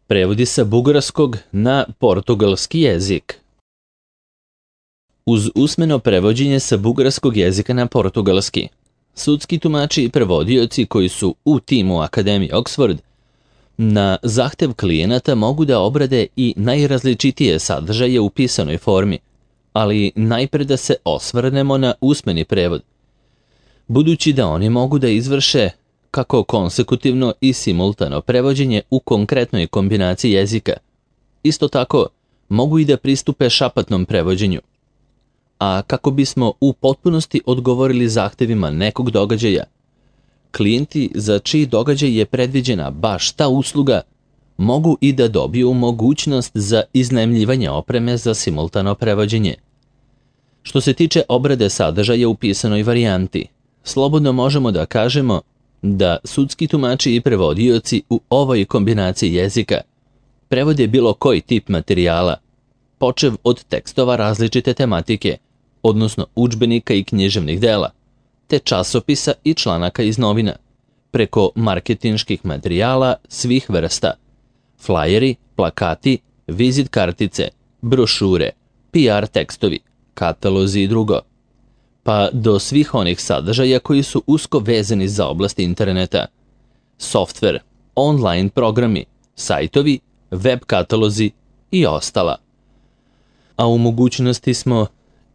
Prevodi sa bugarskog na portugalski jezik. Uz usmeno prevođenje sa bugarskog jezika na portugalski, sudski tumači i prevodioci koji su u timu Akademije Oxford na zahtev klijenata mogu da obrade i najrazličitije sadržaje u pisanoj formi, ali najpre da se osvrnemo na usmeni prevod, budući da oni mogu da izvrše kako konsekutivno i simultano prevođenje u konkretnoj kombinaciji jezika. Isto tako, mogu i da pristupe šapatnom prevođenju. A kako bismo u potpunosti odgovorili zahtevima nekog događaja, klijenti za čiji događaj je predviđena baš ta usluga mogu i da dobiju mogućnost za iznajmljivanje opreme za simultano prevođenje. Što se tiče obrade sadržaja u pisanoj varijanti, slobodno možemo da kažemo da sudski tumači i prevodioci u ovoj kombinaciji jezika prevode bilo koji tip materijala, počev od tekstova različite tematike, odnosno udžbenika i književnih dela, te časopisa i članaka iz novina, preko marketinških materijala svih vrsta, flajeri, plakati, vizit kartice, brošure, PR tekstovi, katalozi i drugo, pa do svih onih sadržaja koji su usko vezani za oblast interneta, softver, online programi, sajtovi, web katalozi i ostala. A u mogućnosti smo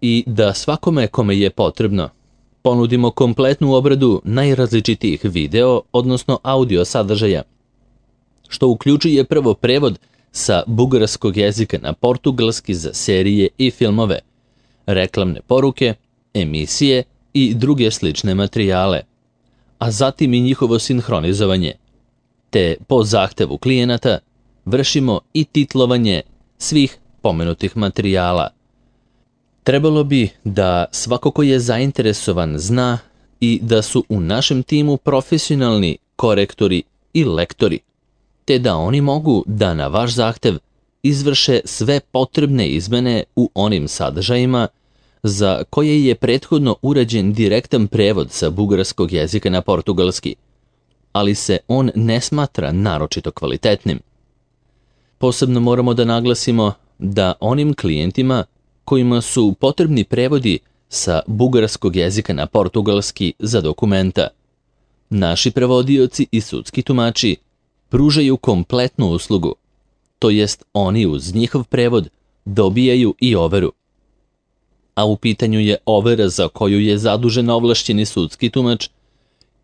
i da svakome kome je potrebno ponudimo kompletnu obradu najrazličitijih video, odnosno audio sadržaja, što uključuje prvo prevod sa bugarskog jezika na portugalski za serije i filmove, reklamne poruke, emisije i druge slične materijale, a zatim i njihovo sinhronizovanje, te po zahtevu klijenata vršimo i titlovanje svih pomenutih materijala. Trebalo bi da svako ko je zainteresovan zna i da su u našem timu profesionalni korektori i lektori, te da oni mogu da na vaš zahtev izvrše sve potrebne izmene u onim sadržajima za koje je prethodno urađen direktan prevod sa bugarskog jezika na portugalski, ali se on ne smatra naročito kvalitetnim. Posebno moramo da naglasimo da onim klijentima kojima su potrebni prevodi sa bugarskog jezika na portugalski za dokumenta, naši prevodioci i sudski tumači pružaju kompletnu uslugu, to jest oni uz njihov prevod dobijaju i overu. A u pitanju je overa za koju je zadužen ovlašćeni sudski tumač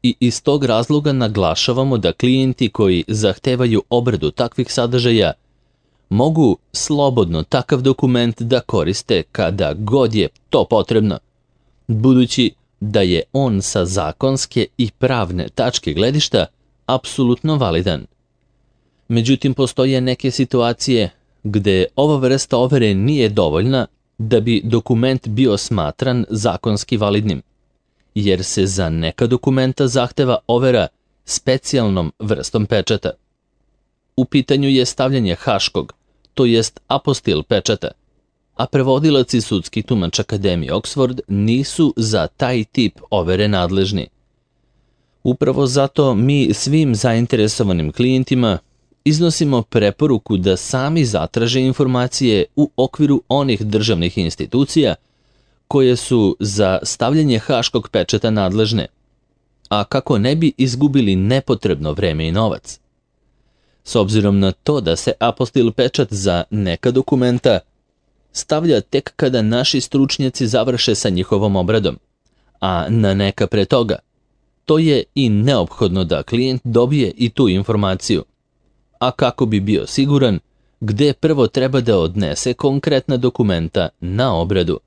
i iz tog razloga naglašavamo da klijenti koji zahtevaju obradu takvih sadržaja mogu slobodno takav dokument da koriste kada god je to potrebno, budući da je on sa zakonske i pravne tačke gledišta apsolutno validan. Međutim, postoje neke situacije gde ova vrsta overe nije dovoljna da bi dokument bio smatran zakonski validnim, jer se za neka dokumenta zahteva overa specijalnom vrstom pečata. U pitanju je stavljanje haškog, to jest apostil pečata, a prevodilac i sudski tumač Akademije Oxford nisu za taj tip overe nadležni. Upravo zato mi svim zainteresovanim klijentima iznosimo preporuku da sami zatraže informacije u okviru onih državnih institucija koje su za stavljanje haškog pečata nadležne, a kako ne bi izgubili nepotrebno vreme i novac. S obzirom na to da se apostil pečat za neka dokumenta stavlja tek kada naši stručnjaci završe sa njihovom obradom, a na neka pre toga, to je i neophodno da klijent dobije i tu informaciju. A kako bi bio siguran gde prvo treba da odnese konkretna dokumenta na obradu.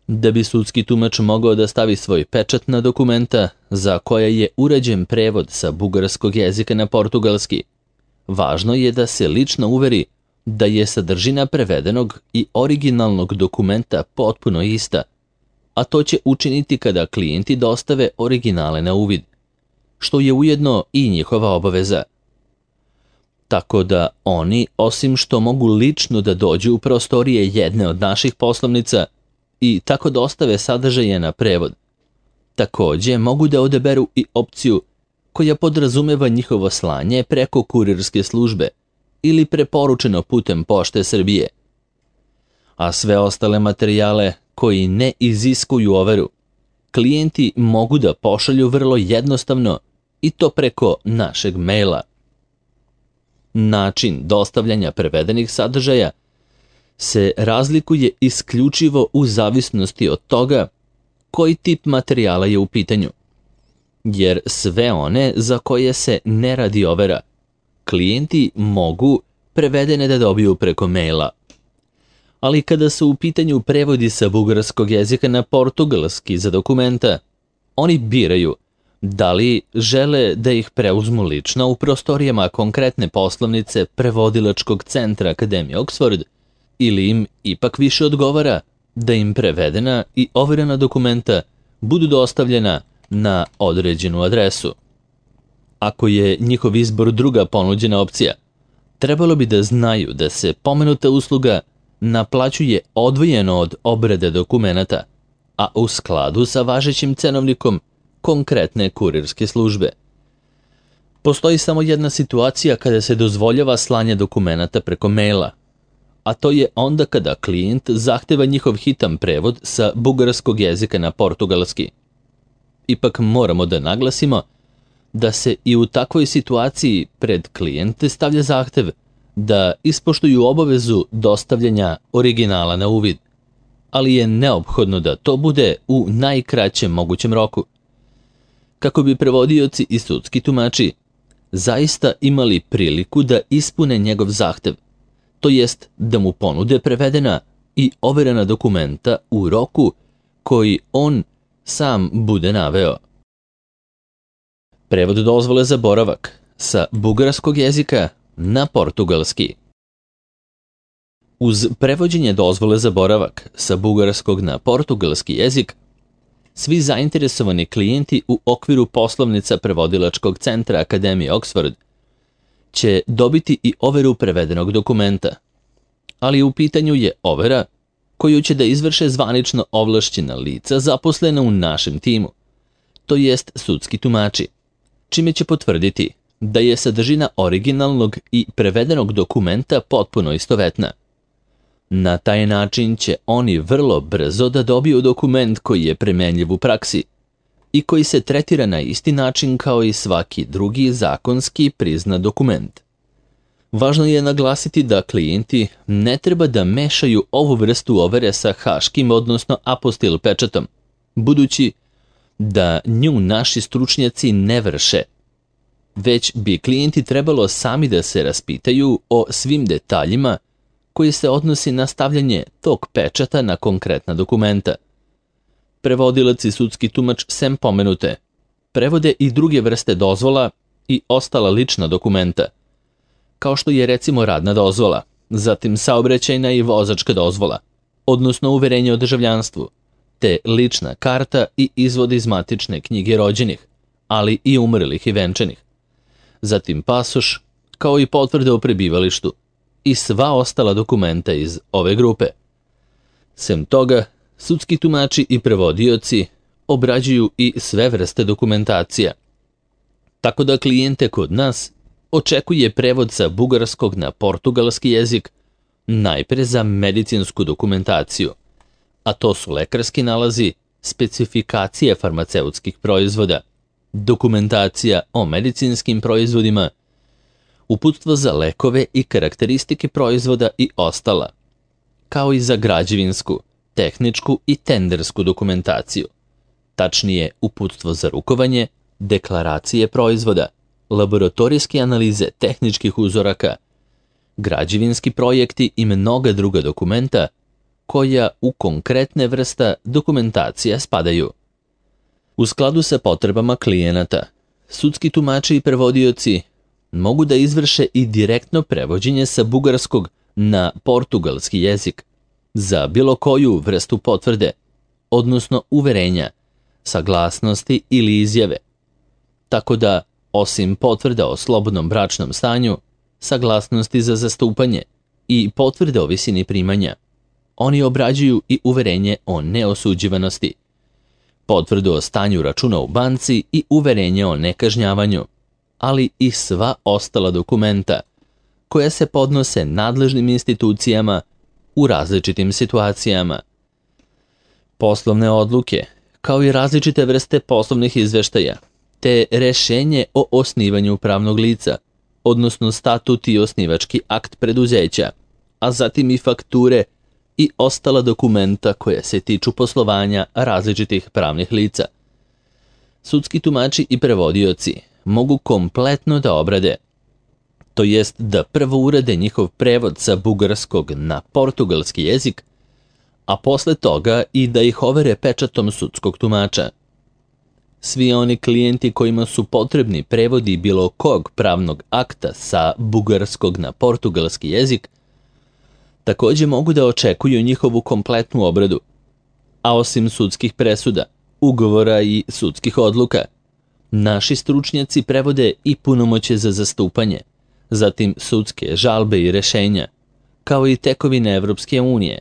Da bi sudski tumač mogao da stavi svoj pečat na dokumenta za koje je urađen prevod sa bugarskog jezika na portugalski, važno je da se lično uveri da je sadržina prevedenog i originalnog dokumenta potpuno ista, a to će učiniti kada klijenti dostave originale na uvid, što je ujedno i njihova obaveza. Tako da oni, osim što mogu lično da dođu u prostorije jedne od naših poslovnica i tako dostave sadržaje na prevod, takođe mogu da odaberu i opciju koja podrazumeva njihovo slanje preko kurirske službe ili preporučeno putem Pošte Srbije. A sve ostale materijale koji ne iziskuju overu, klijenti mogu da pošalju vrlo jednostavno i to preko našeg maila. Način dostavljanja prevedenih sadržaja se razlikuje isključivo u zavisnosti od toga koji tip materijala je u pitanju, jer sve one za koje se ne radi overa, klijenti mogu prevedene da dobiju preko maila. Ali kada su u pitanju prevodi sa bugarskog jezika na portugalski za dokumenta, oni biraju da li žele da ih preuzmu lično u prostorijama konkretne poslovnice prevodilačkog centra Akademije Oxford ili im ipak više odgovara da im prevedena i overena dokumenta budu dostavljena na određenu adresu. Ako je njihov izbor druga ponuđena opcija, trebalo bi da znaju da se pomenuta usluga naplaćuje odvojeno od obrade dokumenata, a u skladu sa važećim cenovnikom konkretne kurirske službe. Postoji samo jedna situacija kada se dozvoljava slanje dokumenata preko maila, a to je onda kada klijent zahteva njihov hitan prevod sa bugarskog jezika na portugalski. Ipak moramo da naglasimo da se i u takvoj situaciji pred klijente stavlja zahtev da ispoštuju obavezu dostavljanja originala na uvid, ali je neophodno da to bude u najkraćem mogućem roku, kako bi prevodioci i sudski tumači zaista imali priliku da ispune njegov zahtev, to jest da mu ponude prevedena i overena dokumenta u roku koji on sam bude naveo. Prevod dozvole za boravak sa bugarskog jezika na portugalski. Uz prevođenje dozvole za boravak sa bugarskog na portugalski jezik, svi zainteresovani klijenti u okviru poslovnica prevodilačkog centra Akademije Oxford će dobiti i overu prevedenog dokumenta, ali u pitanju je overa koju će da izvrše zvanično ovlašćena lica zaposlena u našem timu, to jest sudski tumači, čime će potvrditi da je sadržina originalnog i prevedenog dokumenta potpuno istovetna. Na taj način će oni vrlo brzo da dobiju dokument koji je primenljiv u praksi i koji se tretira na isti način kao i svaki drugi zakonski priznat dokument. Važno je naglasiti da klijenti ne treba da mešaju ovu vrstu overe sa haškim, odnosno apostil pečatom, budući da nju naši stručnjaci ne vrše, već bi klijenti trebalo sami da se raspitaju o svim detaljima koji se odnosi na stavljanje tog pečata na konkretna dokumenta. Prevodilac i sudski tumač sem pomenute prevode i druge vrste dozvola i ostala lična dokumenta, kao što je recimo radna dozvola, zatim saobraćajna i vozačka dozvola, odnosno uverenje o državljanstvu, te lična karta i izvod iz matične knjige rođenih, ali i umrlih i venčanih, zatim pasoš, kao i potvrde o prebivalištu i sva ostala dokumenta iz ove grupe. Sem toga, sudski tumači i prevodioci obrađuju i sve vrste dokumentacija, tako da klijente kod nas očekuje prevod sa bugarskog na portugalski jezik najpre za medicinsku dokumentaciju, a to su lekarski nalazi, specifikacije farmaceutskih proizvoda, dokumentacija o medicinskim proizvodima, uputstvo za lekove i karakteristike proizvoda i ostala, kao i za građevinsku, tehničku i tendersku dokumentaciju, tačnije uputstvo za rukovanje, deklaracije proizvoda, laboratorijske analize tehničkih uzoraka, građevinski projekti i mnoga druga dokumenta koja u konkretne vrsta dokumentacija spadaju. U skladu sa potrebama klijenata, sudski tumači i prevodioci mogu da izvrše i direktno prevođenje sa bugarskog na portugalski jezik za bilo koju vrstu potvrde, odnosno uverenja, saglasnosti ili izjave. Tako da, osim potvrda o slobodnom bračnom stanju, saglasnosti za zastupanje i potvrde o visini primanja, oni obrađuju i uverenje o neosuđivanosti, potvrdu o stanju računa u banci i uverenje o nekažnjavanju, ali i sva ostala dokumenta koja se podnose nadležnim institucijama u različitim situacijama. Poslovne odluke, kao i različite vrste poslovnih izveštaja, te rešenje o osnivanju pravnog lica, odnosno statut i osnivački akt preduzeća, a zatim i fakture i ostala dokumenta koja se tiču poslovanja različitih pravnih lica. Sudski tumači i prevodioci mogu kompletno da obrade, to jest da prvo urade njihov prevod sa bugarskog na portugalski jezik, a posle toga i da ih overe pečatom sudskog tumača. Svi oni klijenti kojima su potrebni prevodi bilo kog pravnog akta sa bugarskog na portugalski jezik, takođe mogu da očekuju njihovu kompletnu obradu, a osim sudskih presuda, ugovora i sudskih odluka, naši stručnjaci prevode i punomoćje za zastupanje, zatim sudske žalbe i rešenja, kao i tekovine Evropske unije,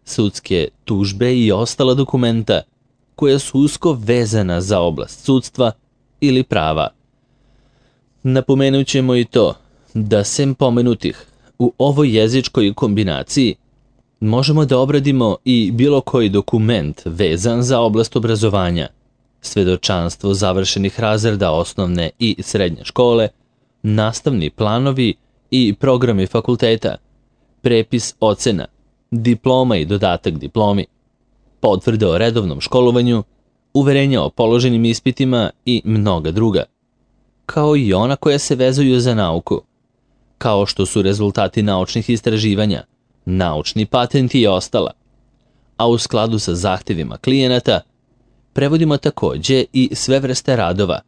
sudske tužbe i ostala dokumenta koja su usko vezana za oblast sudstva ili prava. Napomenut ćemo i to da sem pomenutih u ovoj jezičkoj kombinaciji možemo da obradimo i bilo koji dokument vezan za oblast obrazovanja, svedočanstvo završenih razreda osnovne i srednje škole, nastavni planovi i programi fakulteta, prepis ocena, diploma i dodatak diplomi, potvrde o redovnom školovanju, uverenja o položenim ispitima i mnoga druga, kao i ona koja se vezuju za nauku, kao što su rezultati naučnih istraživanja, naučni patenti i ostala, a u skladu sa zahtevima klijenata prevodimo takođe i sve vrste radova,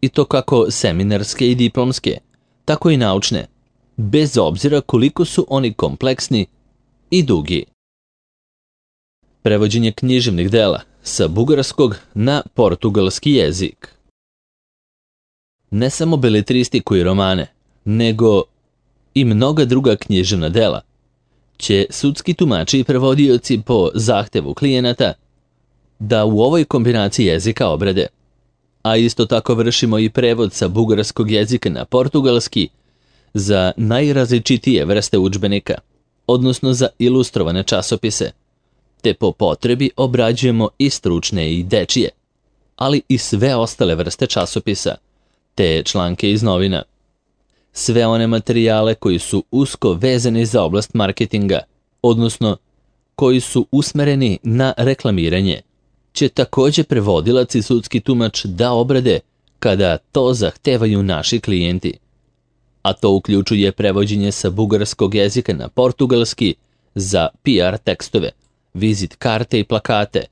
i to kako seminarske i diplomske, tako i naučne, bez obzira koliko su oni kompleksni i dugi. Prevođenje književnih dela sa bugarskog na portugalski jezik. Ne samo beletristiku i romane, nego i mnoga druga književna dela će sudski tumači i prevodioci po zahtevu klijenata da u ovoj kombinaciji jezika obrade, a isto tako vršimo i prevod sa bugarskog jezika na portugalski za najrazličitije vrste udžbenika, odnosno za ilustrovane časopise, te po potrebi obrađujemo i stručne i dečije, ali i sve ostale vrste časopisa, te članke iz novina. Sve one materijale koji su usko vezani za oblast marketinga, odnosno koji su usmereni na reklamiranje, će takođe prevodilac i sudski tumač da obrade kada to zahtevaju naši klijenti. A to uključuje prevođenje sa bugarskog jezika na portugalski za PR tekstove, vizit karte i plakate,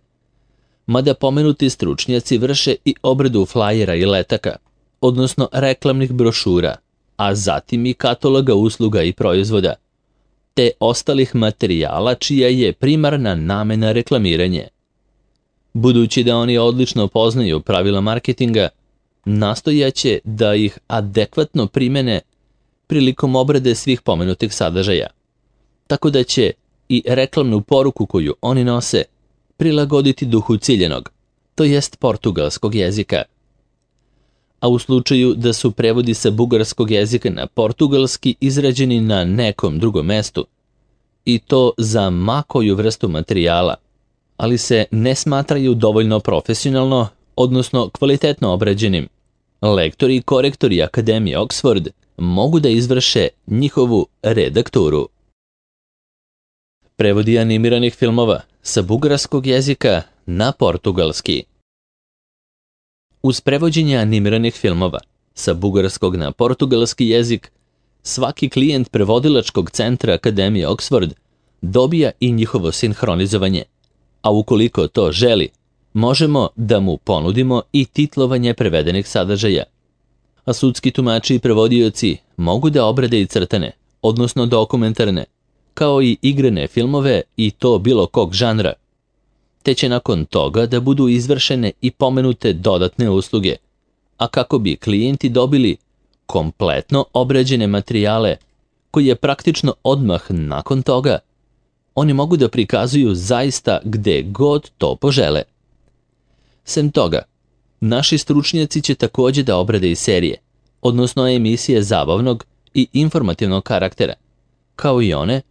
mada pomenuti stručnjaci vrše i obradu flajera i letaka, odnosno reklamnih brošura, a zatim i kataloga usluga i proizvoda, te ostalih materijala čija je primarna namena reklamiranje. Budući da oni odlično poznaju pravila marketinga, nastojaće da ih adekvatno primene prilikom obrade svih pomenutih sadržaja, tako da će i reklamnu poruku koju oni nose prilagoditi duhu ciljenog, to jest portugalskog jezika. A u slučaju da su prevodi sa bugarskog jezika na portugalski izrađeni na nekom drugom mestu, i to za ma koju vrstu materijala, ali se ne smatraju dovoljno profesionalno, odnosno kvalitetno obrađenim, lektori i korektori Akademije Oxford mogu da izvrše njihovu redakturu. Prevodi animiranih filmova sa bugarskog jezika na portugalski. Uz prevođenje animiranih filmova sa bugarskog na portugalski jezik, svaki klijent prevodilačkog centra Akademije Oxford dobija i njihovo sinhronizovanje, a ukoliko to želi, možemo da mu ponudimo i titlovanje prevedenih sadržaja. A sudski tumači i prevodioci mogu da obrade i crtane, odnosno dokumentarne, kao i igrane filmove i to bilo kog žanra, te će nakon toga da budu izvršene i pomenute dodatne usluge, a kako bi klijenti dobili kompletno obrađene materijale koje praktično odmah nakon toga oni mogu da prikazuju zaista gde god to požele. Sem toga, naši stručnjaci će takođe da obrade i serije, odnosno emisije zabavnog i informativnog karaktera, kao i one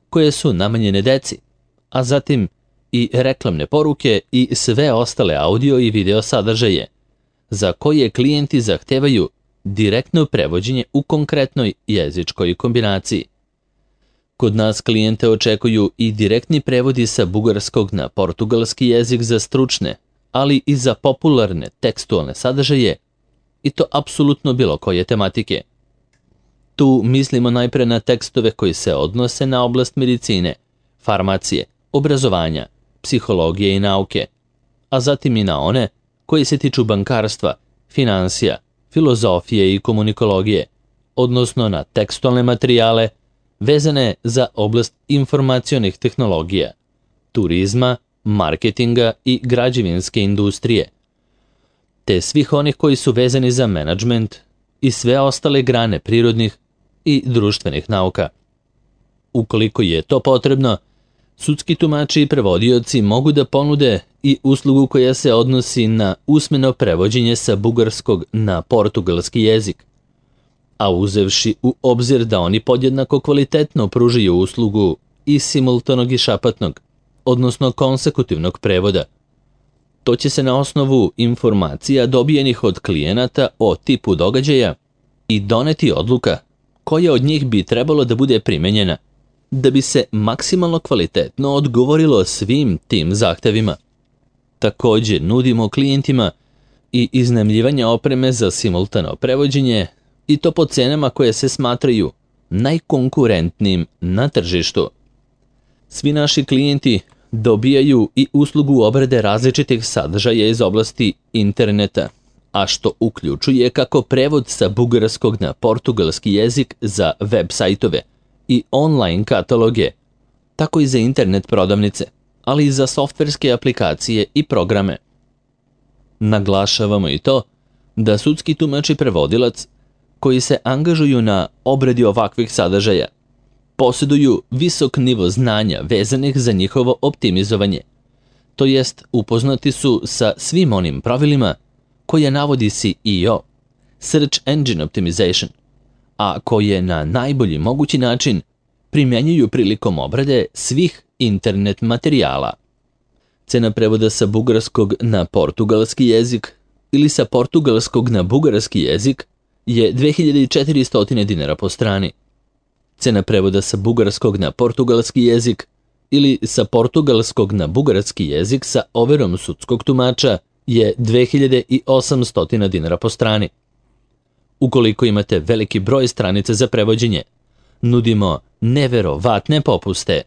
koje su namenjene deci, a zatim i reklamne poruke i sve ostale audio i video sadržaje, za koje klijenti zahtevaju direktno prevođenje u konkretnoj jezičkoj kombinaciji. Kod nas klijente očekuju i direktni prevodi sa bugarskog na portugalski jezik za stručne, ali i za popularne tekstualne sadržaje, i to apsolutno bilo koje tematike. Tu mislimo najpre na tekstove koji se odnose na oblast medicine, farmacije, obrazovanja, psihologije i nauke, a zatim i na one koji se tiču bankarstva, finansija, filozofije i komunikologije, odnosno na tekstualne materijale vezane za oblast informacionih tehnologija, turizma, marketinga i građevinske industrije, te svih onih koji su vezani za menadžment i sve ostale grane prirodnih i društvenih nauka. Ukoliko je to potrebno, sudski tumači i prevodioci mogu da ponude i uslugu koja se odnosi na usmeno prevođenje sa bugarskog na portugalski jezik, a uzevši u obzir da oni podjednako kvalitetno pružaju uslugu i simultanog i šapatnog, odnosno konsekutivnog prevoda. To će se na osnovu informacija dobijenih od klijenata o tipu događaja i doneti odluka koja od njih bi trebalo da bude primenjena da bi se maksimalno kvalitetno odgovorilo svim tim zahtevima. Također nudimo klijentima i iznajmljivanje opreme za simultano prevođenje, i to po cenama koje se smatraju najkonkurentnijim na tržištu. Svi naši klijenti dobijaju i uslugu obrade različitih sadržaja iz oblasti interneta, a što uključuje kako prevod sa bugarskog na portugalski jezik za web sajtove i online kataloge, tako i za internet prodavnice, ali i za softverske aplikacije i programe. Naglašavamo i to da sudski tumač i prevodilac koji se angažuju na obradi ovakvih sadržaja posjeduju visok nivo znanja vezanih za njihovo optimizovanje, to jest upoznati su sa svim onim pravilima koje navodi SEO, Search Engine Optimization, a koje na najbolji mogući način primjenjuju prilikom obrade svih internet materijala. Cena prevoda sa bugarskog na portugalski jezik ili sa portugalskog na bugarski jezik je 2400 dinara po strani. Cena prevoda sa bugarskog na portugalski jezik ili sa portugalskog na bugarski jezik sa overom sudskog tumača je 2800 dinara po strani. Ukoliko imate veliki broj stranica za prevođenje, nudimo neverovatne popuste